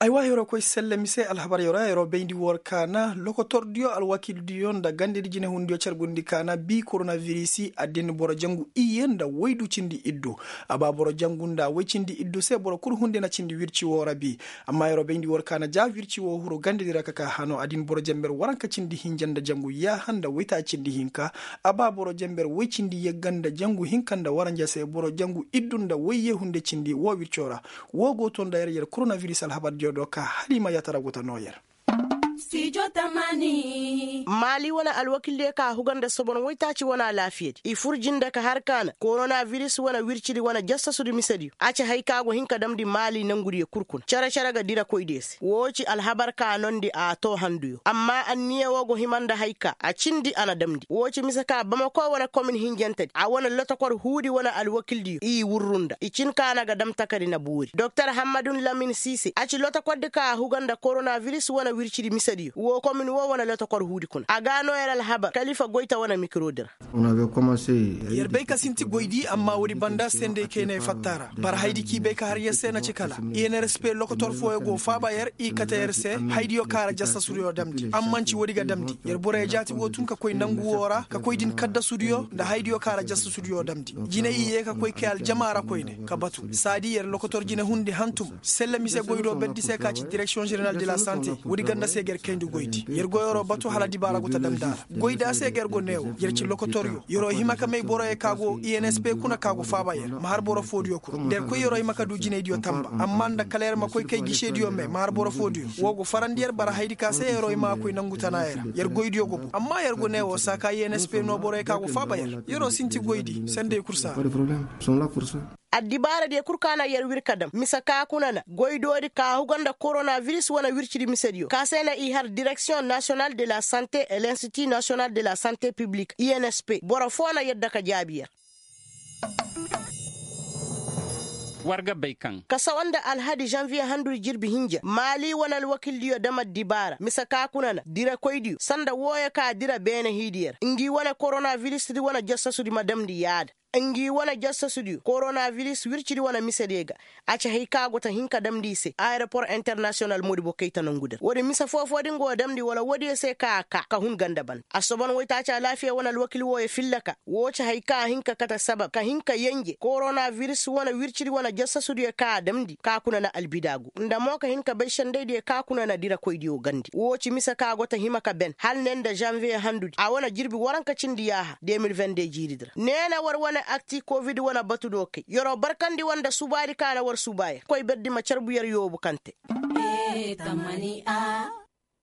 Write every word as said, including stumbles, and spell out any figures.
Aywa yeroo koy sella mise alhabar yeroo yeroo bayndi war kaana lokotordiyo alwakildiyo nda gandedi jinehundiyo carbundi kaana bii koronavirisi addin boro jangu iyye nda woydu cindi iddu. A ba boro jangu nda woy cindi iddu se boro kul hunde na cindi wirci woo ra bii. Amma yeroo bayndi war kaana ja wirci woo huru gandedi ra ka ka hano addin boro jamber waranka cindi hinja nda jangu yaaha nda woyta cindi hinka. A ba boro jamber woy cindi yagga nda jangu hinka nda waranja se boro jangu iddu nda woy yee hunde cindi woo wirco ra. Woo go to nda yer yer koronaviris alhabardiyo do ka hala i ma yaatara guta noo yer. Maali wane alwakildiyo ka huga nda sobon woytaaci wane alaafiyadi i fur jinde ka har kaana koronaviris wane wircidi wane jassasudi misediyo a ci hay ka go hin ka damndi maali nangudiyo kul kuna cere-cere ga dirakoydiyo se woo ci alhabar ka noondi a too handuyo amma anniya woo go hima nda hay ka a cindi a na damndi woo ci mise ka bamako wane komin hinjantedi a wane lotokor huudi wane alwakildiyo i wurru nda i cin ka na ga dam takari na boori doktor hammadun lamin siise a ci lotokordi ka a huga nda koronaviris wane wircidi misediyo woo komin woo wane lotokor huudi kuna a ga noo yer alhabar kalifa goyta wane mikirodi ra. Yer bay ka sinti goydi amma woodi banda senday kay na ay fatta ra bara haydi k'i bay ka har yer se na ci kala i n r s p lokotor fooyo go faaba yer i kate yer se haydiyo ka ra jassasudiyo damndi amma nci woodi ga damndi yer boroyo jaati woo tun ka koy nangu woo ra ka koy din kaddasudiyo nda haydiyo ka ra jassasudiyo damndi jine i yee ka koy kay aljama ra koyne ka batu saadi yer lokotor jine hundi hantum sella mise goy do berdi se ka ci direksiyoŋ ženeral de la sante woodi ganda se ga yer kayndi goydi yer go yeroo batu hala dibaara go ta damndi a ra goyda se ga yer go neewo yer ci lokotoryo yeroo hima ka may boroyo ka go i n s p kuna ka go faaba yer ma har boro foodiyo kuna nda yer koy yeroo hima ka du jinaydiyo tamba amma nda kala yer ma koy kay gisediyo me ma har boro foodiyo woo go farandi yer bara haydi ka se yeroo hima ka koy nangu tana yer ra yer goydiyo go boŋ amma yer go neewo saa ka i n s p noo boroyo ka go faaba yer yeroo sinti goydi senday kul saa. Addibaaradiyo kul ka na yer wir ka dam mise ka kuna na goydoodi ka huga nda koronaviris wane wircidi misediyo ka se na i har direksiyoŋ nasiyonal de la sante et l'institi nasiyonal de la sante piblik i n s p boro foo na yadda ka jaabi yer. War ga bay kaŋ ka sawa nda alhadi zanviye handudi jirbi hinja maali wane alwakildiyo dam addibaara mise ka kuna na dirakoydiyo sanda wooyo ka dira beene hiidiyo ra ngi wane koronavirisdi wane jassasudi ma damndi yaada ngi wane jassasudiyo koronaviris wircidi wane misediyo ga a ci hay ka go ta hin ka damndi i se ayeropor internasiyonal modibo kayta nongu din woodi mise foo-foo din go damndi wala woodiyo se ka a kaa ka hun ganda ban assobon woytaaci alaafiya wane alwakil wooyo filla ka woo ci hay ka a hin ka kate sabab ka hin ka yenje koronaviris wane wircidi wane jassasudiyo ka a damndi ka kuna na albidaagu nda mo ka hin ka bay sendaydiyo ka kuna na dirakoydiyo gandi woo ci mise ka go ta hima ka ben hala ne nda zanviye handudi a wane jirbi waranka cindi yaaha de mil vende jiiridi ra ne na war wane akti kovid wane batu do kay yeroo barkandi war nda subaadi ka na war subaa yer koy berdi ma carbu yer yoobu kaŋ te.